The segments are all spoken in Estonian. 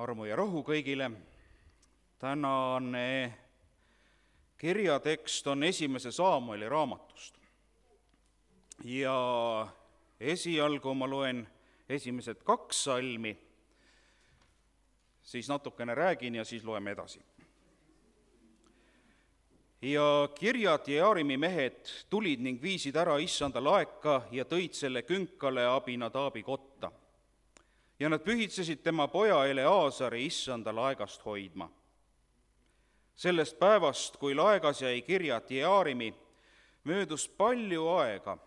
armu ja rahu kõigile. Tänane kirjatekst on 1. Saamueli raamatust. Ja esialgu ma loen esimesed 2 salmi, siis natukene räägin ja siis loeme edasi. Ja Kirjat-Jearimi mehed tulid ning viisid ära issanda laeka ja tõid selle künkale Abinadabi kotta. Ja nad pühitsesid tema poja Eleazari issanda laegast hoidma. Sellest päevast, kui laegas jäi Kirjat-Jearimi, möödus palju aega,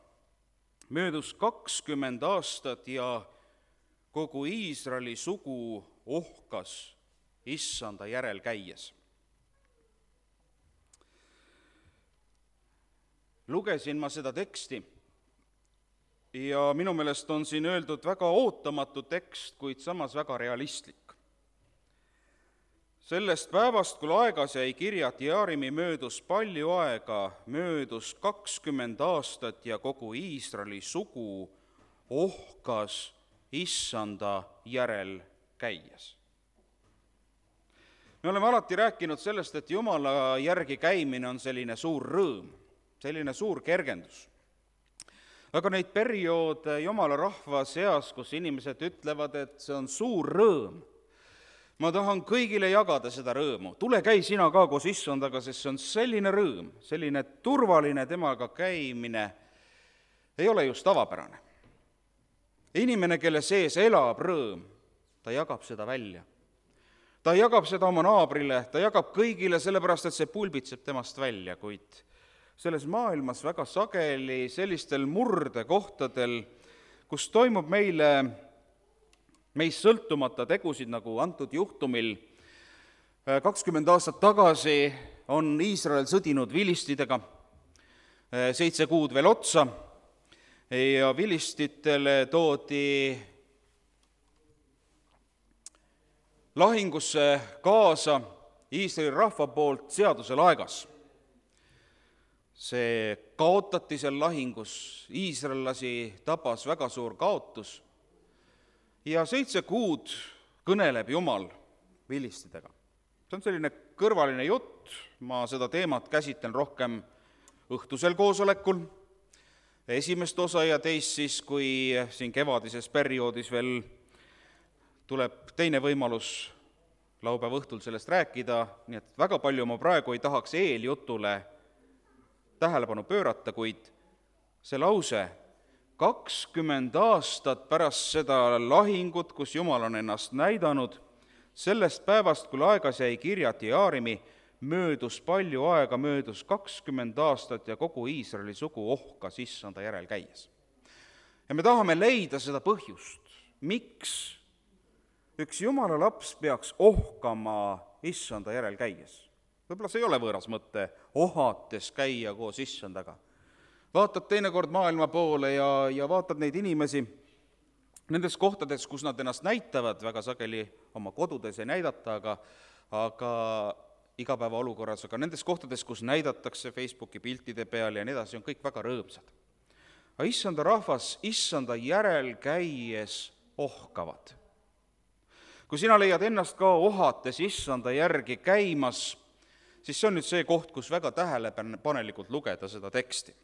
möödus 20 aastat ja kogu Iisraeli sugu ohkas issanda järel käies. Lugesin ma seda teksti ja minu meelest on siin öeldud väga ootamatu tekst, kuid samas väga realistlik. Sellest päevast, kui laegas jäi Kirjat-Jearimi, möödus palju aega, möödus 20 aastat ja kogu Iisraeli sugu ohkas issanda järel käies. Me oleme alati rääkinud sellest, et Jumala järgi käimine on selline suur rõõm, selline suur kergendus. Aga neid perioode Jumala rahva seas, kus inimesed ütlevad, et see on suur rõõm, ma tahan kõigile jagada seda rõõmu. Tule käi sina ka koos issandaga, sest see on selline rõõm, selline turvaline temaga käimine ei ole just tavapärane. Inimene, kelle sees elab rõõm, ta jagab seda välja. Ta jagab seda oma naabrile, ta jagab kõigile, sellepärast et see pulbitseb temast välja, kuid selles maailmas väga sageli sellistel murdekohtadel, kus toimub meist sõltumata tegusid, nagu antud juhtumil 20 aastat tagasi on Iisrael sõdinud vilistidega, 7 kuud veel otsa, ja vilistitele toodi lahingusse kaasa Iisraeli rahva poolt seaduse laegas. See kaotati seal lahingus, iisraellasi tabas väga suur kaotus ja 7 kuud kõneleb Jumal vilistidega. See on selline kõrvaline jutt, ma seda teemat käsitlen rohkem õhtusel koosolekul, esimest osa ja teist siis, kui siin kevadises perioodis veel tuleb teine võimalus laupäeva õhtul sellest rääkida, nii et väga palju ma praegu ei tahaks eeljutule tähelepanu pöörata, kuid see lause 20 aastat pärast seda lahingut, kus Jumal on ennast näidanud, sellest päevast, kui laegas jäi Kirjat-Jearimi, möödus palju aega, möödus 20 aastat ja kogu Iisraeli sugu ohkas issanda järel käies. Ja me tahame leida seda põhjust, miks üks Jumala laps peaks ohkama issanda järel käies. Võib-olla see ei ole võõras mõte ohates käia koos issandaga. Vaatad teinekord maailma poole ja vaatad neid inimesi nendes kohtades, kus nad ennast näitavad, väga sageli oma kodudes ei näidata, aga igapäevaolukorras, aga nendes kohtades, kus näidatakse Facebooki piltide peal ja nii edasi, on kõik väga rõõmsad. Aga issanda rahvas issanda järel käies ohkavad. Kui sina leiad ennast ka ohates issanda järgi käimas, siis see on nüüd see koht, kus väga tähelepanelikult lugeda seda teksti.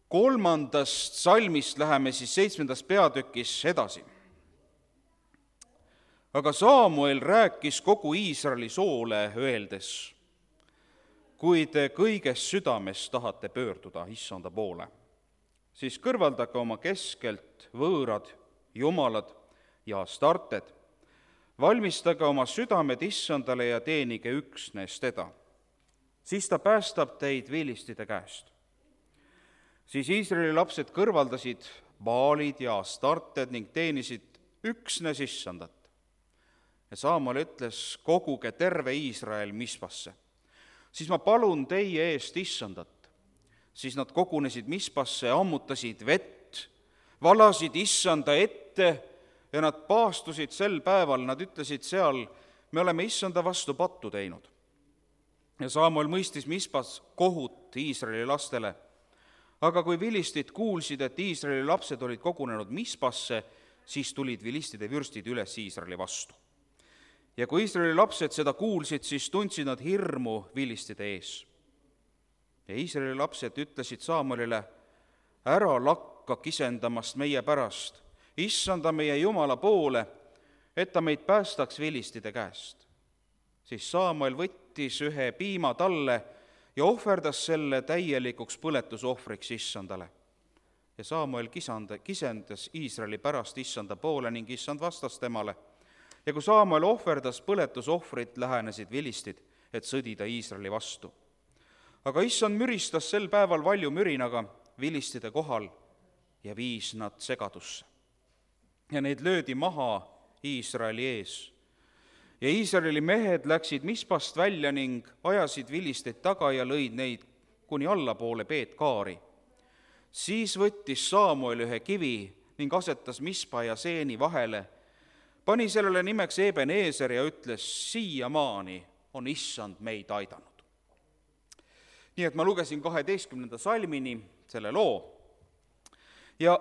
3. salmist läheme siis 7. peatükis edasi. Aga Saamuel rääkis kogu Iisraeli soole öeldes, kui te kõigest südames tahate pöörduda issanda poole, siis kõrvaldage oma keskelt võõrad jumalad ja astarted, valmistage oma südamed issandale ja teenige üksnes teda. Siis ta päästab teid vilistide käest. Siis Iisraeli lapsed kõrvaldasid Baalid ja astarted ning teenisid üksnes issandat. Ja Saamuel ütles, koguge terve Iisrael Mispasse. Siis ma palun teie eest issandat. Siis nad kogunesid Mispasse, ammutasid vett, valasid issanda ette ja nad paastusid sel päeval, nad ütlesid seal, me oleme issanda vastu pattu teinud. Ja Saamuel mõistis Mispas kohut Iisraeli lastele. Aga kui vilistid kuulsid, et Iisraeli lapsed olid kogunenud Mispasse, siis tulid vilistide vürstid üles Iisraeli vastu. Ja kui Iisraeli lapsed seda kuulsid, siis tundsid nad hirmu vilistide ees. Ja Iisraeli lapsed ütlesid Saamuelile, ära lakka kisendamast meie pärast, issanda meie Jumala poole, et ta meid päästaks vilistide käest. Siis Saamuel võttis ühe piima talle ja ohverdas selle täielikuks põletusohvriks issandale. Ja Saamuel kisendas Iisraeli pärast issanda poole ning issand vastas temale. Ja kui Saamuel ohverdas põletusohvrit, lähenesid vilistid, et sõdida Iisraeli vastu. Aga issand müristas sel päeval valju mürinaga vilistide kohal ja viis nad segadusse. Ja neid löödi maha Iisraeli ees. Ja Iisraeli mehed läksid Mispast välja ning ajasid vilisteid taga ja lõid neid kuni allapoole Peetkaari. Siis võttis Saamuel ühe kivi ning asetas Mispa ja Seeni vahele, pani sellele nimeks Ebeneeser ja ütles, siiamaani on issand meid aidanud. Nii et ma lugesin 12. salmini selle loo ja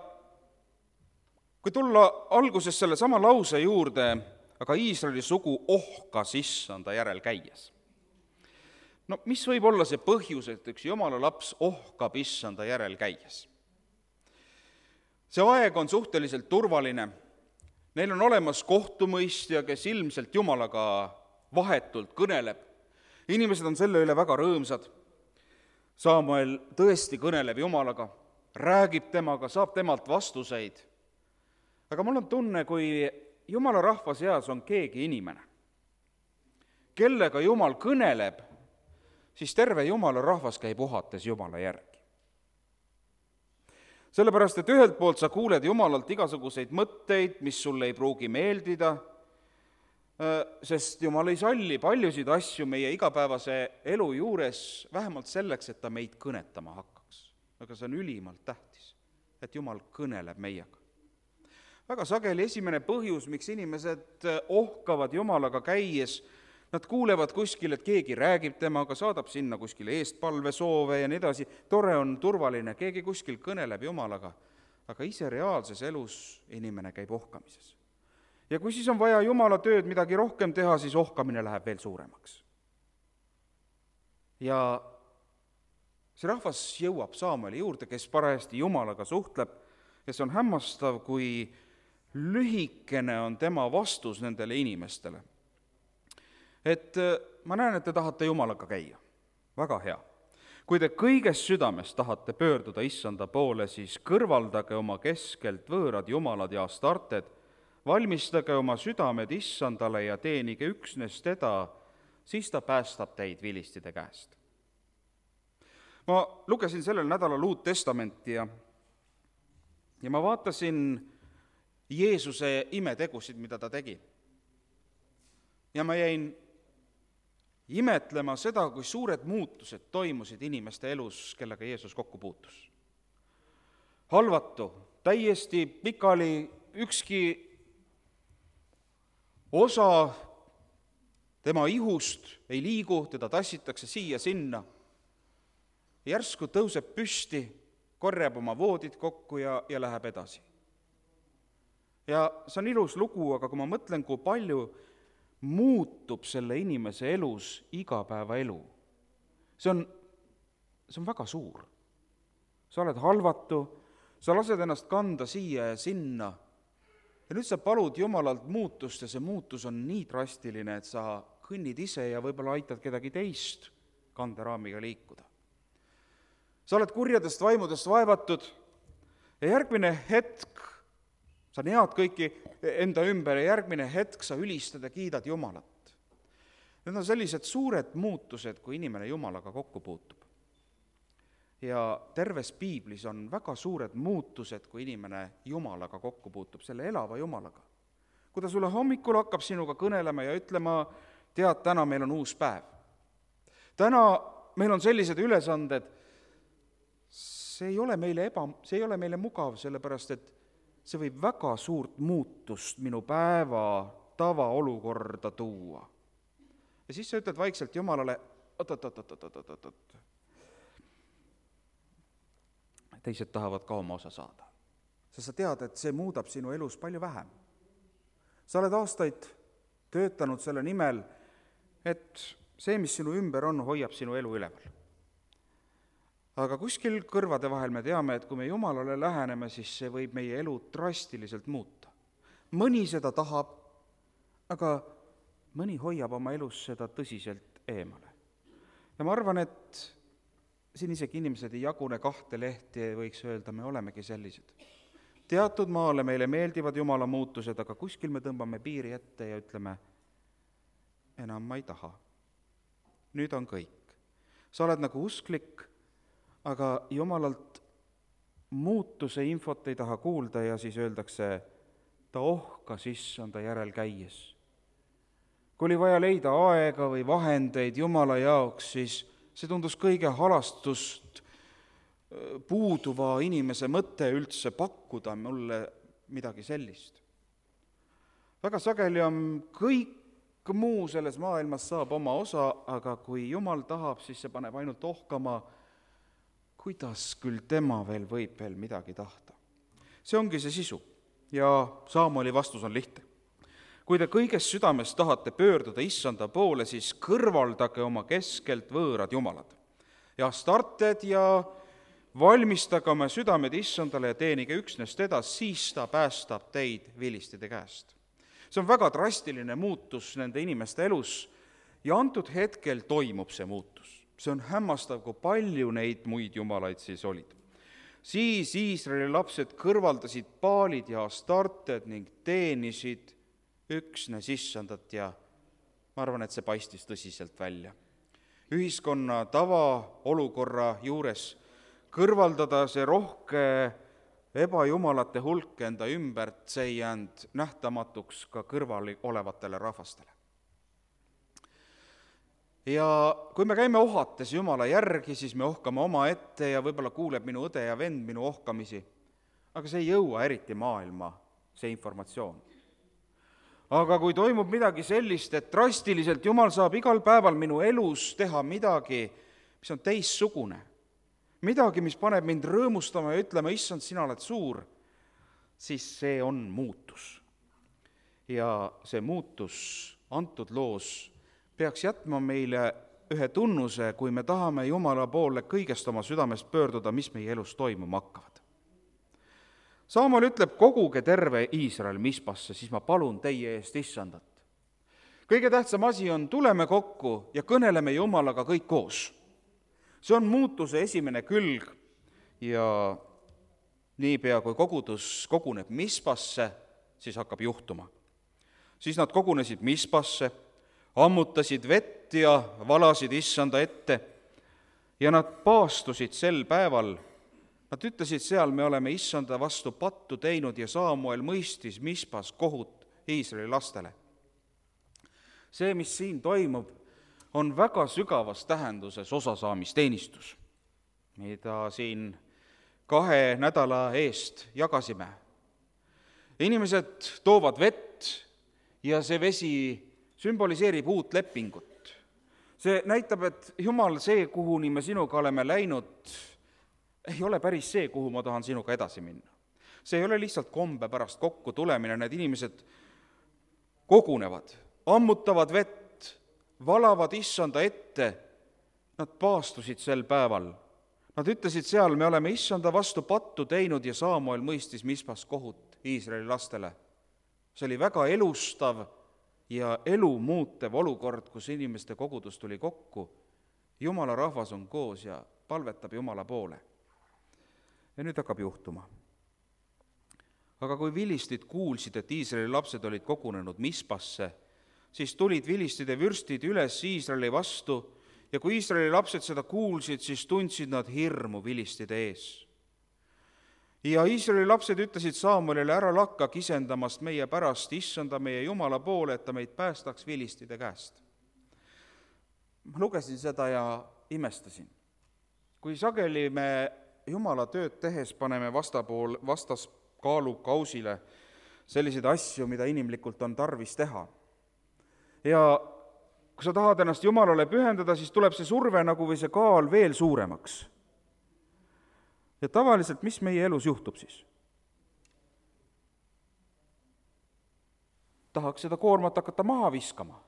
kui tulla alguses selle sama lause juurde, aga Iisraeli sugu ohkas issanda järel käies. No mis võib olla see põhjus, et üks Jumala laps ohkab issanda järel käies? See aeg on suhteliselt turvaline, neil on olemas kohtumõistja, kes ilmselt Jumalaga vahetult kõneleb. Inimesed on selle üle väga rõõmsad. Saamuel tõesti kõneleb Jumalaga, räägib temaga, saab temalt vastuseid. Aga mul on tunne, kui Jumala rahva seas on keegi inimene, kellega Jumal kõneleb, siis terve Jumala rahvas käib uhates Jumala järgi. Sellepärast, et ühelt poolt sa kuuled Jumalalt igasuguseid mõtteid, mis sulle ei pruugi meeldida, sest Jumal ei salli paljusid asju meie igapäevase elu juures vähemalt selleks, et ta meid kõnetama hakkaks. Aga see on ülimalt tähtis, et Jumal kõneleb meiega. Väga sageli esimene põhjus, miks inimesed ohkavad Jumalaga käies, nad kuulevad kuskil, et keegi räägib temaga, saadab sinna kuskile eestpalvesoove ja nii edasi, tore on, turvaline, keegi kuskil kõneleb Jumalaga, aga ise reaalses elus inimene käib ohkamises. Ja kui siis on vaja Jumala tööd midagi rohkem teha, siis ohkamine läheb veel suuremaks. Ja see rahvas jõuab Saamueli juurde, kes parajasti Jumalaga suhtleb, ja see on hämmastav, kui lühikene on tema vastus nendele inimestele. Et ma näen, et te tahate Jumalaga käia. Väga hea. Kui te kõigest südamest tahate pöörduda issanda poole, siis kõrvaldage oma keskelt võõrad jumalad ja astarted, valmistage oma südamed issandale ja teenige üksnes teda, siis ta päästab teid vilistide käest. Ma lugesin sellel nädalal Uut Testamenti ja ma vaatasin Jeesuse imetegusid, mida ta tegi. Ja ma jäin imetlema seda, kui suured muutused toimusid inimeste elus, kellega Jeesus kokku puutus. Halvatu, täiesti pikali, ükski osa tema ihust ei liigu, teda tassitakse siia-sinna. Järsku tõuseb püsti, korjab oma voodid kokku ja läheb edasi. Ja see on ilus lugu, aga kui ma mõtlen, kui palju muutub selle inimese elus igapäevaelu, see on väga suur. Sa oled halvatu, sa lased ennast kanda siia ja sinna ja nüüd sa palud Jumalalt muutust ja see muutus on nii drastiline, et sa kõnnid ise ja võib-olla aitad kedagi teist kanderaamiga liikuda. Sa oled kurjadest vaimudest vaevatud ja järgmine hetk sa näed kõiki enda ümber ja järgmine hetk sa ülistad ja kiidad Jumalat. Need on sellised suured muutused, kui inimene Jumalaga kokku puutub. Ja terves piiblis on väga suured muutused, kui inimene Jumalaga kokku puutub, selle elava Jumalaga. Kui ta sulle hommikul hakkab sinuga kõnelema ja ütlema, tead, täna meil on uus päev. Täna meil on sellised ülesanded, see ei ole meile mugav, sellepärast et see võib väga suurt muutust minu päeva tavaolukorda tuua. Ja siis sa ütled vaikselt Jumalale, teised tahavad ka oma osa saada. sest sa tead, et see muudab sinu elus palju vähem. Sa oled aastaid töötanud selle nimel, et see, mis sinu ümber on, hoiab sinu elu üleval. Aga kuskil kõrvade vahel me teame, et kui me Jumalale läheneme, siis see võib meie elu drastiliselt muuta. Mõni seda tahab, aga mõni hoiab oma elus seda tõsiselt eemale. Ja ma arvan, et siin isegi inimesed ei jagune 2 lehti ja võiks öelda, me olemegi sellised. Teatud maale meile meeldivad Jumala muutused, aga kuskil me tõmbame piiri ette ja ütleme, enam ma ei taha. Nüüd on kõik. Sa oled nagu usklik, aga Jumalalt muutuse infot ei taha kuulda ja siis öeldakse, ta ohkas issanda järel käies. Kui oli vaja leida aega või vahendeid Jumala jaoks, siis see tundus kõige halastust puuduva inimese mõte üldse pakkuda mulle midagi sellist. Väga sageli on kõik muu selles maailmas saab oma osa, aga kui Jumal tahab, siis see paneb ainult ohkama, kuidas küll tema veel võib veel midagi tahta. See ongi see sisu ja Saamoli vastus on lihtne. Kui te kõigest südamest tahate pöörduda issanda poole, siis kõrvaldage oma keskelt võõrad jumalad ja started ja valmistage oma südamed issandale ja teenige üksnes teda, siis ta päästab teid vilistide käest. See on väga drastiline muutus nende inimeste elus ja antud hetkel toimub see muutus. See on hämmastav, kui palju neid muid jumalaid siis olid. Siis Iisraeli lapsed kõrvaldasid paalid ja astarted ning teenisid üksnes issandat ja ma arvan, et see paistis tõsiselt välja. Ühiskonna tavaolukorra juures kõrvaldada see rohke ebajumalate hulk enda ümbert, see ei jäänud nähtamatuks ka kõrval olevatele rahvastele. Ja kui me käime ohates Jumala järgi, siis me ohkame oma ette ja võib-olla kuuleb minu õde ja vend minu ohkamisi, aga see ei jõua eriti maailma, see informatsioon. Aga kui toimub midagi sellist, et drastiliselt Jumal saab igal päeval minu elus teha midagi, mis on teissugune, midagi, mis paneb mind rõõmustama ja ütlema, issand, sina oled suur, siis see on muutus. Ja see muutus antud loos peaks jätma meile ühe tunnuse, kui me tahame Jumala poole kõigest oma südamest pöörduda, mis meie elus toimuma hakkavad. Saamol ütleb, koguge terve Iisrael Mispasse, siis ma palun teie eest issandat. Kõige tähtsam asi on, tuleme kokku ja kõneleme Jumalaga kõik koos. See on muutuse esimene külg ja niipea kui kogudus koguneb Mispasse, siis hakkab juhtuma. Siis nad kogunesid Mispasse, ammutasid vett ja valasid issanda ette ja nad paastusid sel päeval. Nad ütlesid seal, me oleme issanda vastu pattu teinud ja Saamuel mõistis Mispas kohut Iisraeli lastele. See, mis siin toimub, on väga sügavas tähenduses osasaamisteenistus, mida siin 2 nädala eest jagasime. Inimesed toovad vett ja see vesi sümboliseerib uut lepingut. See näitab, et Jumal, see, kuhuni me sinuga oleme läinud, ei ole päris see, kuhu ma tahan sinuga edasi minna. See ei ole lihtsalt kombe pärast kokku tulemine, need inimesed kogunevad, ammutavad vett, valavad issanda ette, nad paastusid sel päeval. Nad ütlesid seal, me oleme issanda vastu pattu teinud ja Saamuel mõistis Mispas kohut Iisraeli lastele. See oli väga elustav ja elu muutev olukord, kus inimeste kogudus tuli kokku. Jumala rahvas on koos ja palvetab Jumala poole. Ja nüüd hakkab juhtuma. Aga kui vilistid kuulsid, et Iisraeli lapsed olid kogunenud Mispasse, siis tulid vilistide vürstid üles Iisraeli vastu ja kui Iisraeli lapsed seda kuulsid, siis tundsid nad hirmu vilistide ees. Ja Iisraeli lapsed ütlesid Saamuelile, ära lakka kisendamast meie pärast, issanda meie Jumala poole, et ta meid päästaks vilistide käest. Ma lugesin seda ja imestasin. Kui sageli me Jumala tööd tehes paneme vastaskaalukausile selliseid asju, mida inimlikult on tarvis teha. Ja kui sa tahad ennast Jumalale pühendada, siis tuleb see surve nagu või see kaal veel suuremaks. Ja tavaliselt, mis meie elus juhtub siis? tahaks seda koormat hakata maha viskama.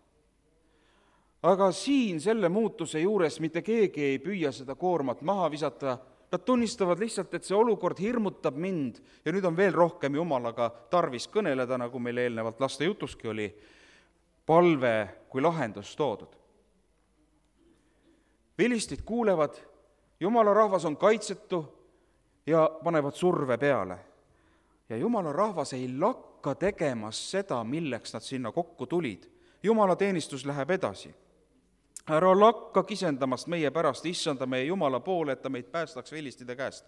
Aga siin selle muutuse juures mitte keegi ei püüa seda koormat maha visata, nad tunnistavad lihtsalt, et see olukord hirmutab mind ja nüüd on veel rohkem Jumalaga tarvis kõneleda, nagu meil eelnevalt laste jutuski oli, palve kui lahendus toodud. Vilistid kuulevad, Jumala rahvas on kaitsetu ja panevad surve peale. Ja Jumala rahvas ei lakka tegemas seda, milleks nad sinna kokku tulid. Jumala teenistus läheb edasi. Ära lakka kisendamast meie pärast, issanda meie Jumala poole, et ta meid päästaks vilistide käest.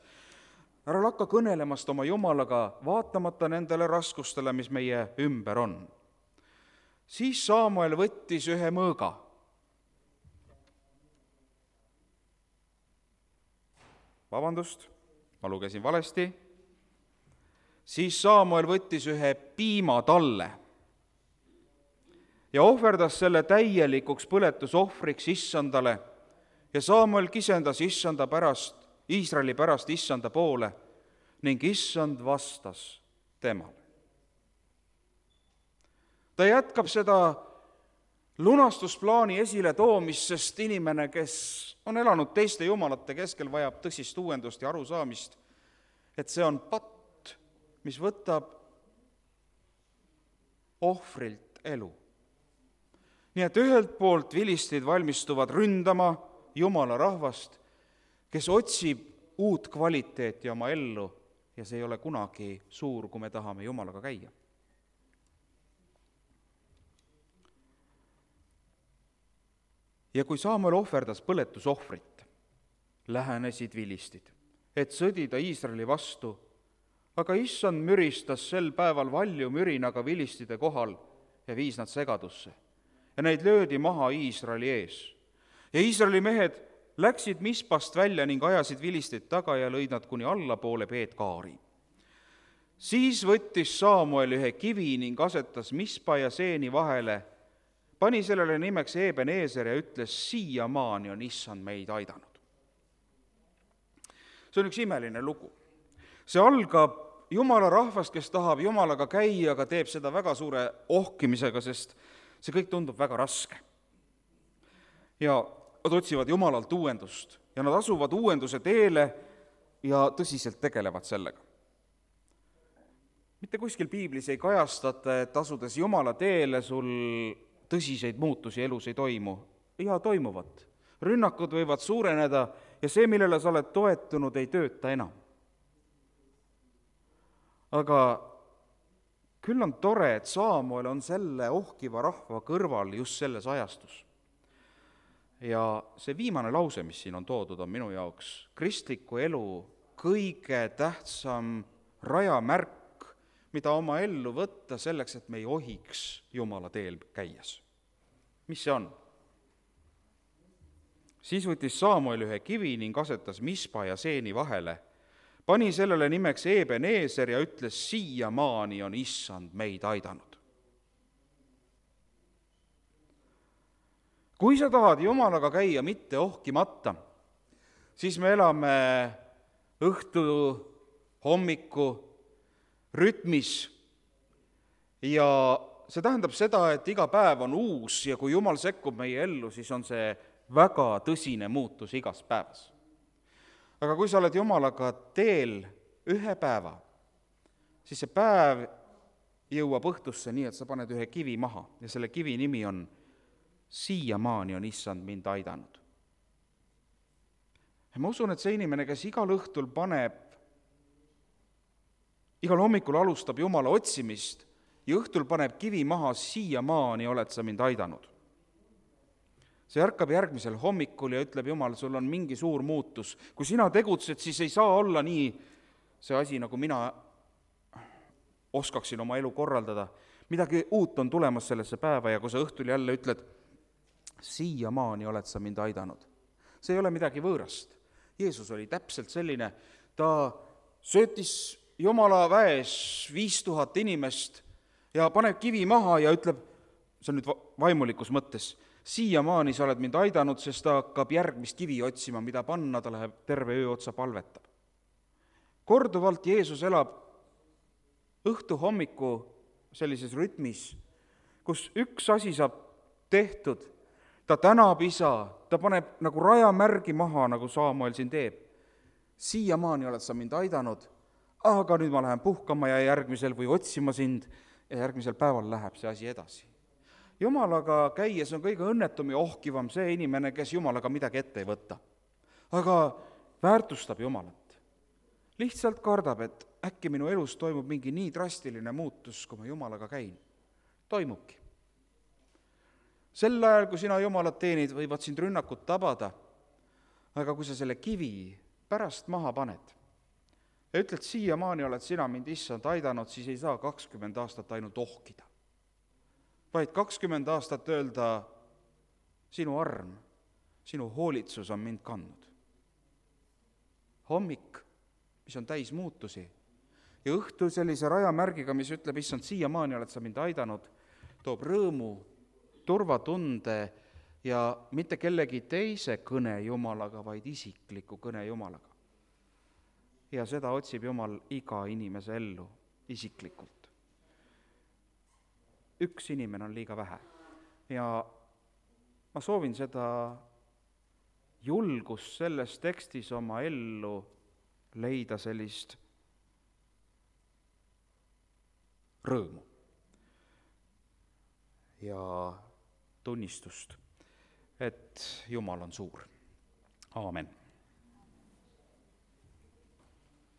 Ära lakka kõnelemast oma Jumalaga, vaatamata nendele raskustele, mis meie ümber on. Siis Saamuel võttis ühe mõõga. Vabandust, ma lugesin valesti. Siis Saamuel võttis ühe piimatalle ja ohverdas selle täielikuks põletusohvriks issandale ja Saamuel kisendas issanda pärast, Iisraeli pärast issanda poole ning issand vastas temale. Ta jätkab seda lunastusplaani esile toomist, sest inimene, kes on elanud teiste jumalate keskel, vajab tõsist uuendust ja arusaamist, et see on patt, mis võtab ohvrilt elu. Nii et ühelt poolt vilistid valmistuvad ründama Jumala rahvast, kes otsib uut kvaliteeti oma ellu ja see ei ole kunagi suur, kui me tahame Jumalaga käia. Ja kui Saamuel ohverdas põletusohvrit, lähenesid vilistid, et sõdida Iisraeli vastu, aga issand müristas sel päeval valju mürinaga vilistide kohal ja viis nad segadusse. Ja neid löödi maha Iisraeli ees. Ja Iisraeli mehed läksid Mispast välja ning ajasid vilistid taga ja lõid nad kuni allapoole Peetkaari. Siis võttis Saamuel ühe kivi ning asetas Mispa ja Seeni vahele, pani sellele nimeks Ebenezer ja ütles, siiamaani on issand meid aidanud. See on üks imeline lugu. See algab Jumala rahvast, kes tahab Jumalaga käia, aga teeb seda väga suure ohkimisega, sest see kõik tundub väga raske. Ja nad otsivad Jumalalt uuendust ja nad asuvad uuenduse teele ja tõsiselt tegelevad sellega. Mitte kuskil piiblis ei kajastata, et asudes Jumala teele sul tõsiseid muutusi elus ei toimu. Ja toimuvad. Rünnakud võivad suureneda ja see, millele sa oled toetunud, ei tööta enam. Aga küll on tore, et Saamuel on selle ohkiva rahva kõrval just selles ajastus. Ja see viimane lause, mis siin on toodud, on minu jaoks kristliku elu kõige tähtsam rajamärk, mida oma ellu võtta selleks, et me ei ohiks Jumala teel käies. Mis see on? Siis võttis Saamuel ühe kivi ning asetas Mispa ja Seeni vahele, pani sellele nimeks Ebenezer ja ütles, siiamaani on issand meid aidanud. Kui sa tahad Jumalaga käia mitte ohkimata, siis me elame õhtu, hommiku rütmis ja see tähendab seda, et iga päev on uus ja kui Jumal sekkub meie ellu, siis on see väga tõsine muutus igas päevas. Aga kui sa oled Jumalaga teel ühe päeva, siis see päev jõuab õhtusse nii, et sa paned ühe kivi maha ja selle kivi nimi on siiamaani on issand mind aidanud. Ja ma usun, et see inimene, kes igal õhtul igal hommikul alustab Jumala otsimist ja õhtul paneb kivi maha, siiamaani oled sa mind aidanud. See ärkab järgmisel hommikul ja ütleb, Jumal, sul on mingi suur muutus. Kui sina tegutsed, siis ei saa olla nii see asi, nagu mina oskaksin oma elu korraldada. Midagi uut on tulemas sellesse päeva ja kui sa õhtul jälle ütled, siiamaani oled sa mind aidanud. See ei ole midagi võõrast. Jeesus oli täpselt selline, ta söötis Jumala väes 5000 inimest ja paneb kivi maha ja ütleb, see on nüüd vaimulikus mõttes, siiamaani sa oled mind aidanud, sest ta hakkab järgmist kivi otsima, mida panna, ta läheb terve öö otsa palvetab. Korduvalt Jeesus elab õhtu hommiku sellises rütmis kus üks asi saab tehtud, ta tänab isa, ta paneb nagu rajamärgi maha, nagu Saamuel siin teeb. Siiamaani oled sa mind aidanud, aga nüüd ma lähen puhkama ja järgmisel või otsima sind ja järgmisel päeval läheb see asi edasi. Jumalaga käies on kõige õnnetum ja ohkivam see inimene, kes Jumalaga midagi ette ei võta. Aga väärtustab Jumalat. Lihtsalt kardab, et äkki minu elus toimub mingi nii drastiline muutus, kui ma Jumalaga käin. Toimubki. Sel ajal, kui sina Jumalat teenid, võivad sind rünnakud tabada, aga kui sa selle kivi pärast maha paned ja ütled, siiamaani oled sina mind, issand, aidanud, siis ei saa 20 aastat ainult ohkida, vaid 20 aastat öelda, sinu arm, sinu hoolitsus on mind kandnud. Hommik, mis on täis muutusi, ja õhtu sellise rajamärgiga, mis ütleb, issand, siiamaani oled sa mind aidanud, toob rõõmu, turvatunde ja mitte kellegi teise kõne Jumalaga, vaid isikliku kõne Jumalaga. Ja seda otsib Jumal iga inimese ellu isiklikult. Üks inimene on liiga vähe ja ma soovin seda julgust selles tekstis oma ellu leida sellist rõõmu ja tunnistust, et Jumal on suur. Aamen.